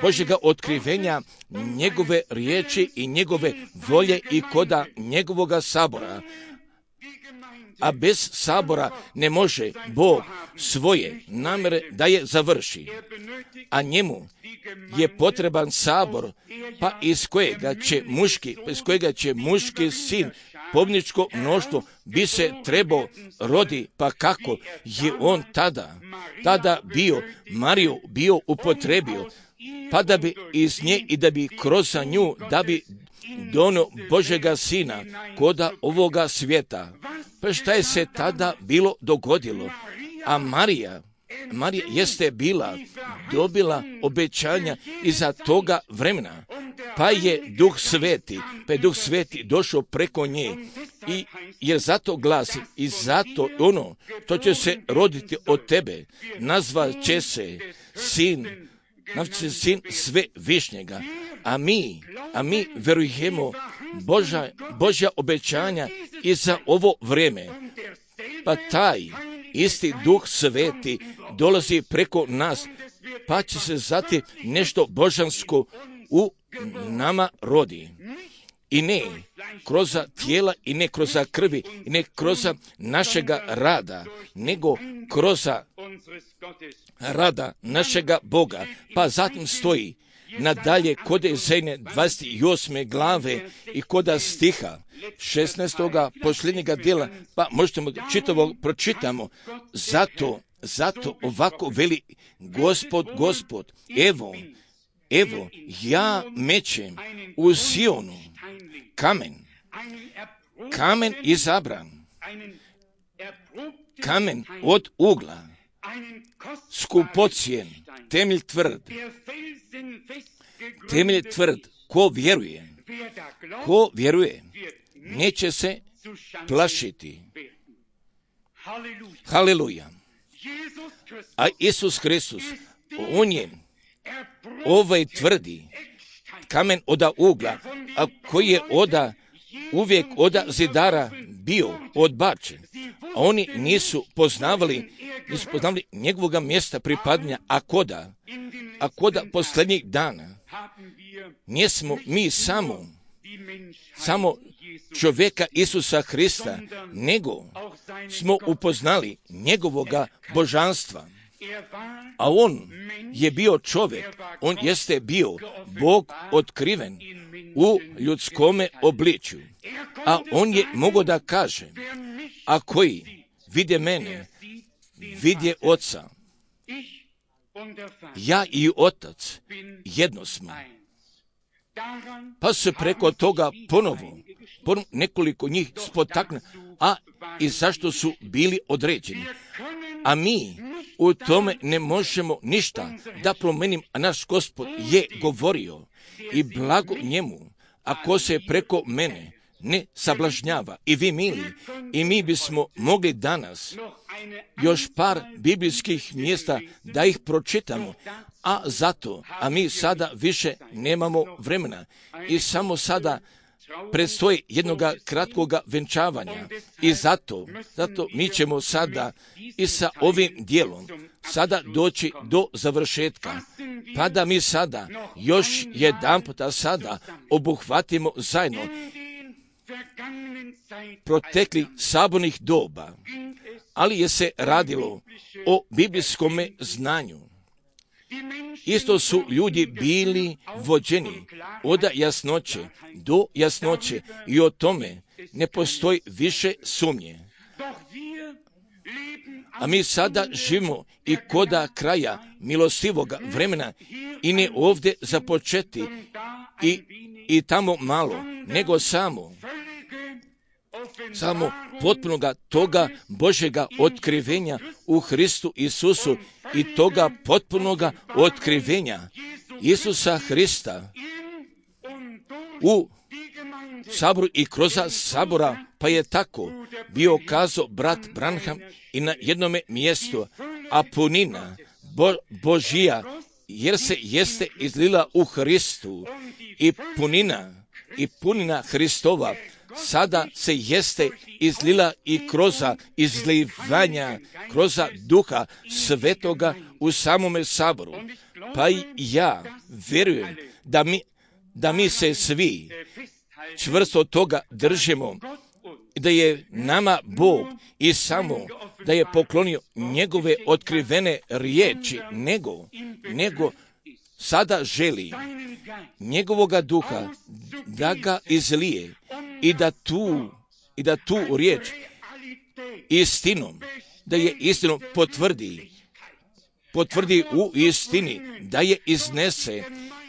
Božjega otkrivenja, njegove riječi i njegove volje i koda njegovoga sabora. A bez sabora ne može Bog svoje namjere da je završi. A njemu je potreban sabor, pa iz kojega će muški sin, pobničko mnoštvo, bi se trebao rodi, pa kako je on tada Mariju bio upotrebio, pa da bi iz nje i da bi kroz nju, da bi donio Božega sina koda ovoga svijeta. Pa šta je se tada bilo dogodilo? A Marija jeste dobila obećanja iza toga vremena, pa je Duh Sveti došao preko nje, i jer zato glasi, i zato ono što će se roditi od tebe, nazvat će se sin Svevišnjega. A mi verujemo Božja obećanja i za ovo vrijeme. Pa taj isti Duh Sveti dolazi preko nas, pa će se zati nešto božansko u nama rodi. I ne kroz tijela, i ne kroz krvi, i ne kroz našega rada, nego kroz rada našega Boga. Pa zatim stoji nadalje kod Izaije 28. glave i koda stiha 16. posljednjega dijela, pa možemo čitavo pročitamo. Zato ovako veli Gospod, evo, ja mećem u Sionu kamen izabran, kamen od ugla, skupocijen, temelj tvrd, ko vjeruje, neće se plašiti. Haleluja. A Isus Hristus, on je tvrdi kamen oda ugla, a koji je uvijek oda zidara bio odbačen. A oni nisu poznavali njegovoga mjesta pripadanja, a koda posljednjih dana nismo mi samo čovjeka Isusa Hrista, nego smo upoznali njegovoga božanstva. A on je bio čovjek, on jeste bio Bog otkriven u ljudskome obličju. A on je mogao da kaže, a koji vide mene, vidje Oca. Ja i Otac jedno smo. Pa se preko toga ponovo nekoliko njih spotakne, a i zašto su bili određeni. A mi u tome ne možemo ništa da promenim, a naš Gospod je govorio i blago njemu, ako se preko mene ne sablažnjava. I vi, mili, i mi bismo mogli danas još par biblijskih mjesta da ih pročitamo, a mi sada više nemamo vremena i samo sada predstoji jednoga kratkoga venčavanja i zato mi ćemo sada i sa ovim dijelom sada doći do završetka, pa da mi sada još jedanputa sada obuhvatimo zajedno protekli sabornih doba, ali je se radilo o biblijskome znanju. Isto su ljudi bili vođeni od jasnoće do jasnoće i o tome ne postoji više sumnje. A mi sada živimo i koda kraja milostivoga vremena i ne ovdje započeti i tamo malo, nego samo potpunoga toga Božjega otkrivenja u Hristu Isusu i toga potpunoga otkrivenja Isusa Hrista u saboru i kroz sabora, pa je tako bio kazao brat Branham i na jednome mjestu, a punina Božija jer se jeste izlila u Hristu i punina Hristova sada se jeste izlila i kroz izlivanja, kroz Duha Svetoga u samome saboru. Pa i ja vjerujem da mi se svi čvrsto toga držimo, da je nama Bog i samo da je poklonio njegove otkrivene riječi, nego sada želi njegovoga duha da ga izlije i da tu riječ istinom, da je istinom potvrdi u istini, da je iznese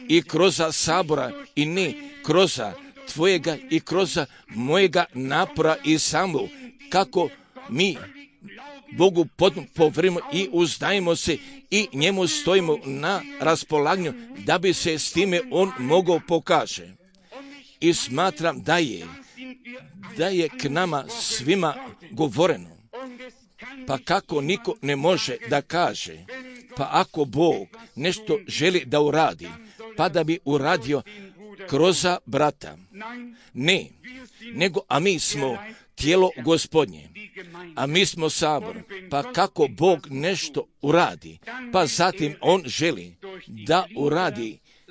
i kroz sabora i ne kroz tvojega i kroz mojega napora i samo kako mi Bogu povrimo i uzdajemo se i njemu stojimo na raspolaganju da bi se s time on mogao pokaže. I smatram da je k nama svima govoreno. Pa kako niko ne može da kaže, pa ako Bog nešto želi da uradi, pa da bi uradio kroz brata. Ne, nego a mi smo tijelo Gospodnje, a mi smo sabor, pa kako Bog nešto uradi, pa zatim on želi da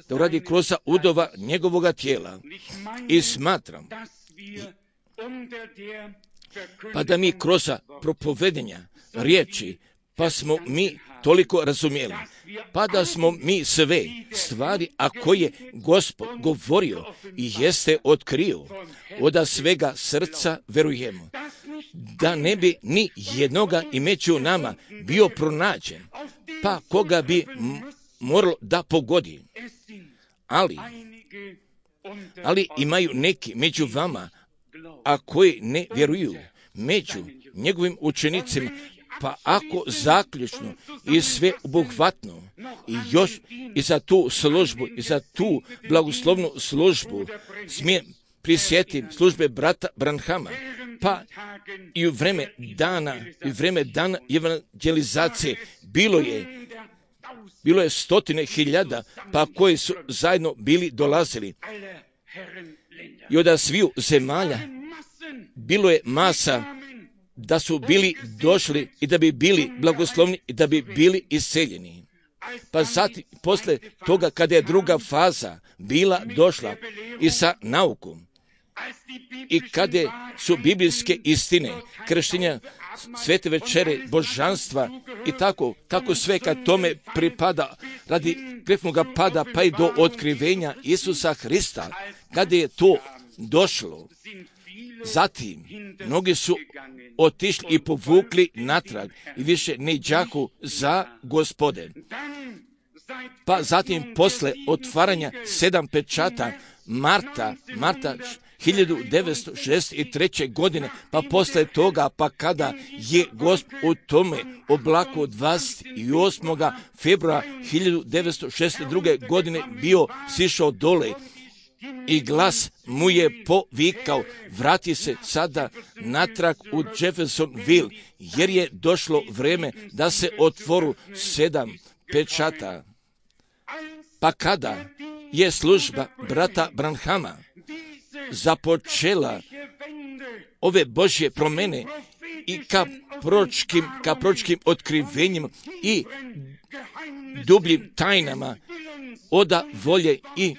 uradi kroz udova njegovoga tijela. I smatram, pa da mi kroz propovedenja riječi, pa smo mi toliko razumjeli, pa da smo mi sve stvari, a koje Gospod govorio i jeste otkrio, od svega srca verujemo, da ne bi ni jednoga i među nama bio pronađen, pa koga bi moralo da pogodi. Ali imaju neki među vama, a koji ne vjeruju, među njegovim učenicima, pa ako zaključno i sve obuhvatno i još i za tu službu i za tu blagoslovnu službu smijem prisjetim službe brata Branhama, pa i u vreme dana evangelizacije bilo je stotine hiljada, pa koji su zajedno bili dolazili i od sviju zemalja bilo je masa da su bili došli i da bi bili blagoslovni i da bi bili isceljeni. Pa zatim, posle toga kada je druga faza bila došla i sa naukom i kada su biblijske istine, krštenja, svete večere, božanstva i tako sve kad tome pripada radi grefnoga pada pa i do otkrivenja Isusa Hrista, kada je to došlo, zatim mnogi su otišli i povukli natrag i više ne đaku za Gospode. Pa zatim posle otvaranja 7 pečata Marta 1963. godine, pa posle toga, pa kada je Gospod u tome oblaku od 28. februara 1962. godine bio sišao dole i glas mu je povikao, vrati se sada natrag u Jeffersonville, jer je došlo vreme da se otvoru 7 pečata. Pa kada je služba brata Branhama započela ove Božje promene i ka proročkim otkrivenjima i dubljim tajnama oda volje i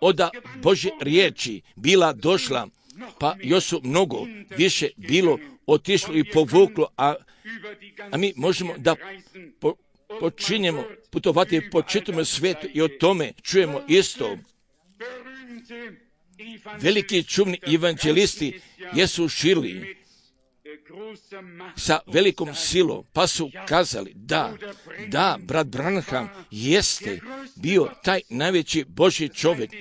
oda Božje riječi bila došla, pa još su mnogo više bilo otišlo i povuklo, a mi možemo da počinjemo putovati po čitavom svijetu i o tome čujemo isto. Veliki čuvni evanđelisti jesu širili sa velikom silom, pa su kazali da, brat Branham jeste bio taj najveći Božji čovjek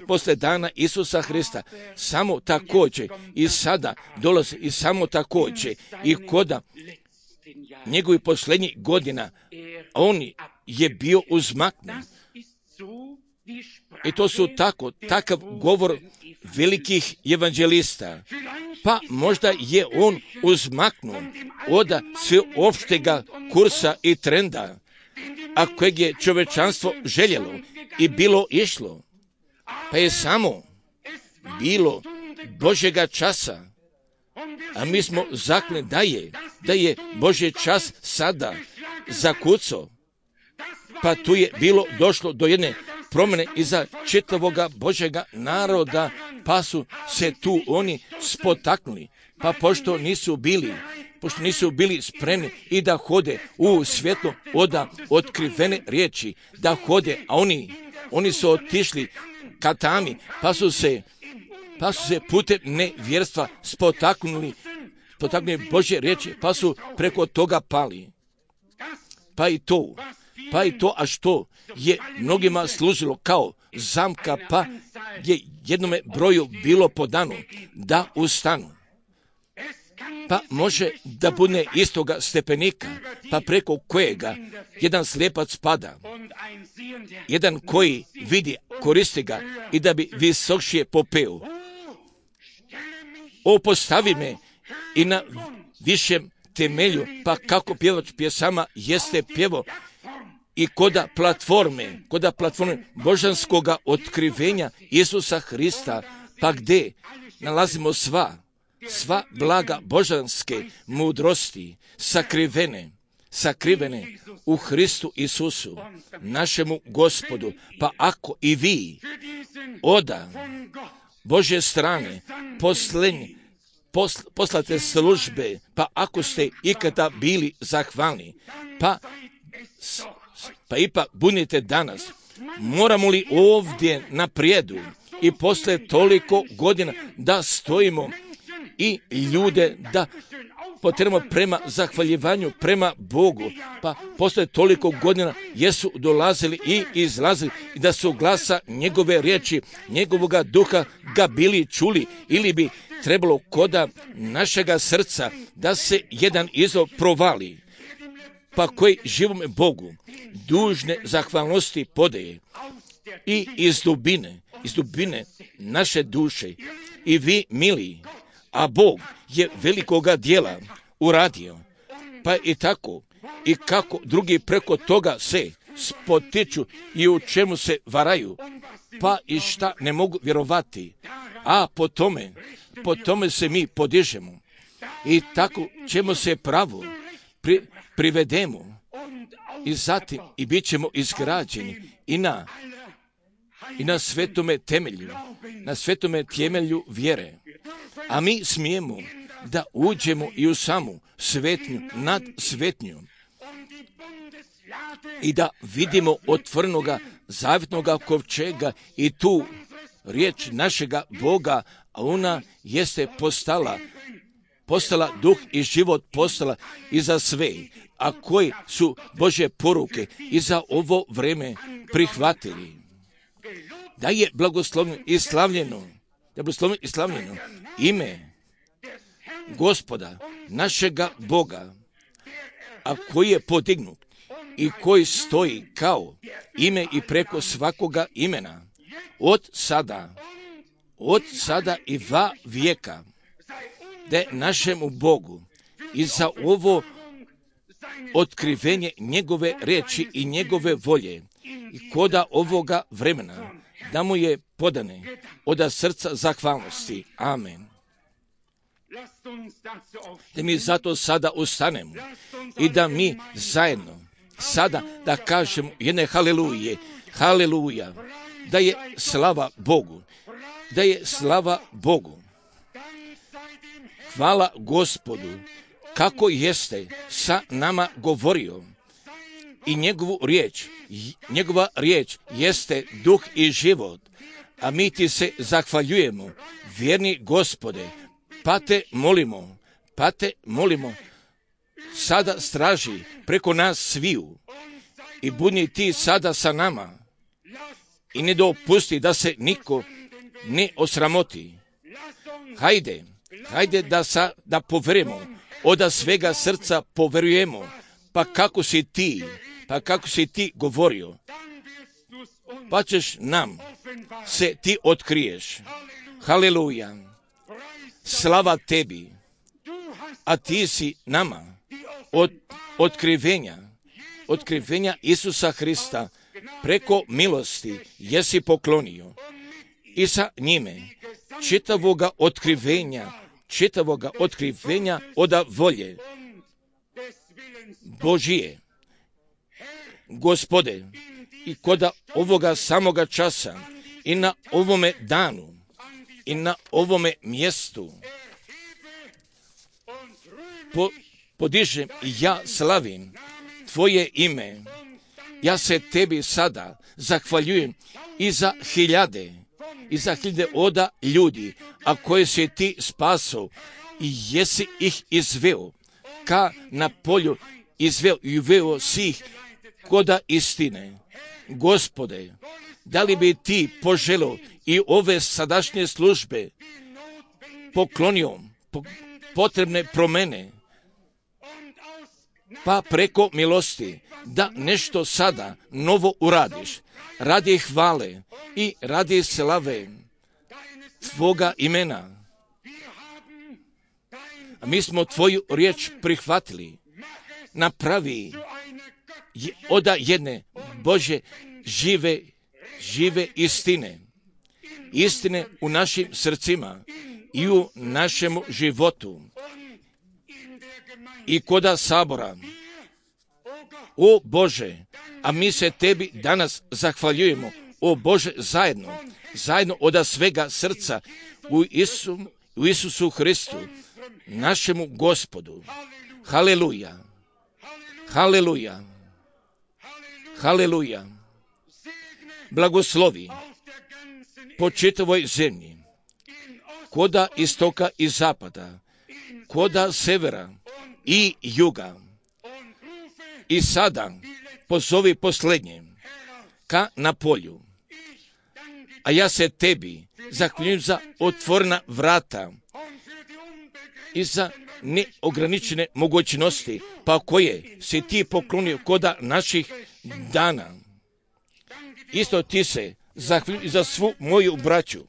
posle dana Isusa Hrista. Samo također i sada dolazi i samo također i koda njegovih posljednjih godina on je bio uzmaknut. I to su takav govor velikih evanđelista. Pa možda je on uzmaknut od sveopštega kursa i trenda, a kojeg je čovečanstvo željelo i bilo išlo. Pa je samo bilo Božjega časa, a mi smo zakleli da je Božji čas sada zakucao. Pa tu je došlo do jedne promjene iza čitavoga Božjega naroda, pa su se tu oni spotaknuli. Pa pošto nisu bili spremni i da hode u svjetlo oda otkrivene riječi, da hode, a oni su otišli ka tami, pa su se putem nevjerstva spotaknuli Božje riječi, pa su preko toga pali. Pa i to, a što je mnogima služilo kao zamka, pa je jednome broju bilo podano da ustanu. Pa može da bude istoga stepenika, pa preko kojega jedan slijepac pada, jedan koji vidi, koristi ga i da bi visokšije popeo. Postavi me i na višem temelju, pa kako pjevač pjesama jeste pjevo i koda platforme božanskoga otkrivenja Isusa Hrista, pa gdje nalazimo sva blaga božanske mudrosti sakrivene u Hristu Isusu, našemu Gospodu. Pa ako i vi oda Božje strane poslate službe, pa ako ste ikada bili zahvalni, pa ipak budite danas, moramo li ovdje naprijedu i posle toliko godina da stojimo i ljude da potrebno prema zahvaljivanju, prema Bogu, pa posle toliko godina jesu dolazili i izlazili i da su glasa njegove riječi, njegovoga duha ga bili čuli, ili bi trebalo koda našega srca da se jedan izov provali, pa koji živome Bogu dužne zahvalnosti podaje i iz dubine naše duše. I vi, mili, a Bog je velikoga djela uradio, pa i tako i kako drugi preko toga se spotiču i u čemu se varaju, pa i šta ne mogu vjerovati, a po tome se mi podižemo i tako ćemo se pravo privedemo i zatim i bit ćemo izgrađeni i na svetome temelju vjere. A mi smijemo da uđemo i u samu svetnju nad svetnjom i da vidimo otvorenoga zavjetnoga kovčega i tu riječ našega Boga, a ona jeste postala duh i život, postala i za sve, a koji su Božje poruke i za ovo vrijeme prihvatili. Da je blagoslovno i slavljeno da blagoslovljeno i slavljeno ime Gospoda, našega Boga, a koji je podignut i koji stoji kao ime i preko svakoga imena, od sada i va vijeka, da je našemu Bogu i za ovo otkrivenje njegove riječi i njegove volje i koda ovoga vremena, da mu je podane od srca zahvalnosti. Amen. Da mi zato sada ustanemo i da mi zajedno sada da kažemo jedne haleluje, haleluja, da je slava Bogu, da je slava Bogu. Hvala Gospodu, kako jeste sa nama govorio i njegova riječ jeste duh i život, a mi ti se zahvaljujemo, vjerni Gospode, pa te molimo, sada straži preko nas sviju i budi ti sada sa nama i ne dopusti da se niko ne osramoti. Hajde da poverujemo, od svega srca poverujemo, pa kako si ti govorio, pa ćeš nam se ti otkriješ. Haleluja, slava tebi, a ti si nama od otkrivenja Isusa Hrista preko milosti jesi poklonio i sa njime čitavoga otkrivenja od volje Božije. Gospode, i koda ovoga samoga časa i na ovome danu i na ovome mjestu podižem i ja slavim tvoje ime. Ja se tebi sada zahvaljujem i za hiljade oda ljudi, a koje si ti spasao i jesi ih izveo, ka na polju izveo i uveo si ih koda istine. Gospode, da li bi ti poželio i ove sadašnje službe poklonio potrebne promjene, pa preko milosti da nešto sada novo uradiš, radi hvale i radi slave tvoga imena. A mi smo tvoju riječ prihvatili, napravi od jedne Bože žive istine u našim srcima i u našemu životu i koda sabora. O Bože, a mi se tebi danas zahvaljujemo, o Bože, zajedno od svega srca u Isusu Hristu, našemu Gospodu. Haleluja, haleluja, haleluja. Blagoslovi po čitavoj zemlji, koda istoka i zapada, koda severa i juga. I sada pozovi posljednje ka na polju. A ja se tebi zahvaljujem za otvorena vrata i za neograničene mogućnosti, pa koje si ti poklonio koda naših dana. Isto ti se zahvaljujem za svu moju braću,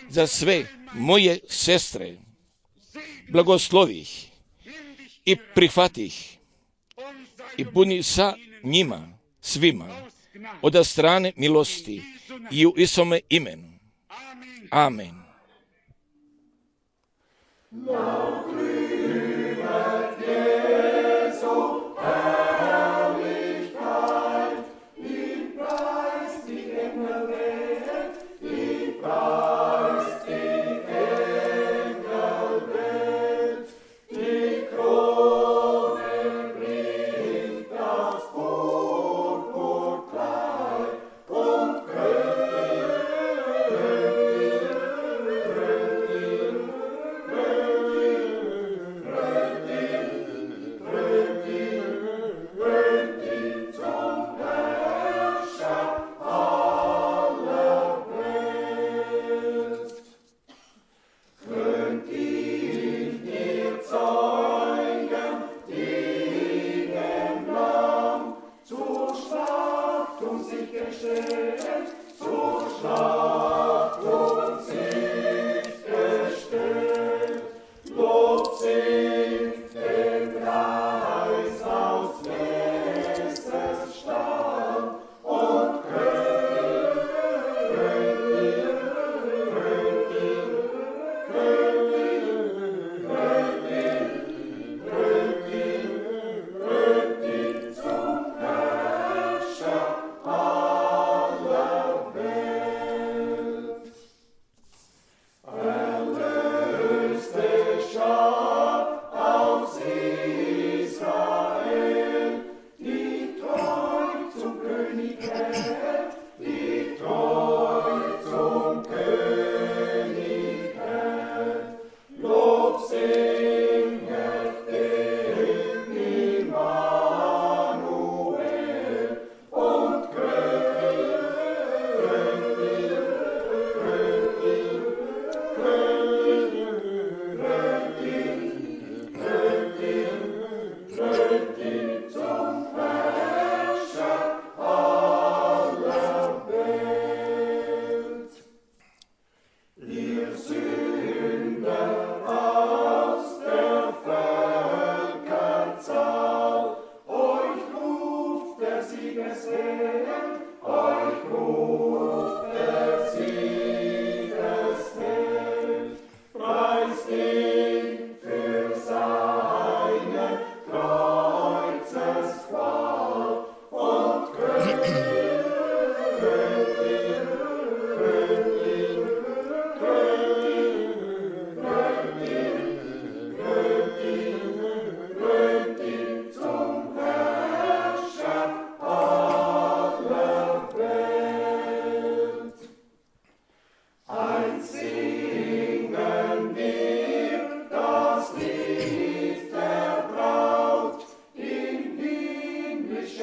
za sve moje sestre. Blagoslovi ih i prihvati ih i budi sa njima svima od strane milosti i u Isome imenu. Amen.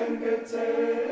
Menschen gezählt.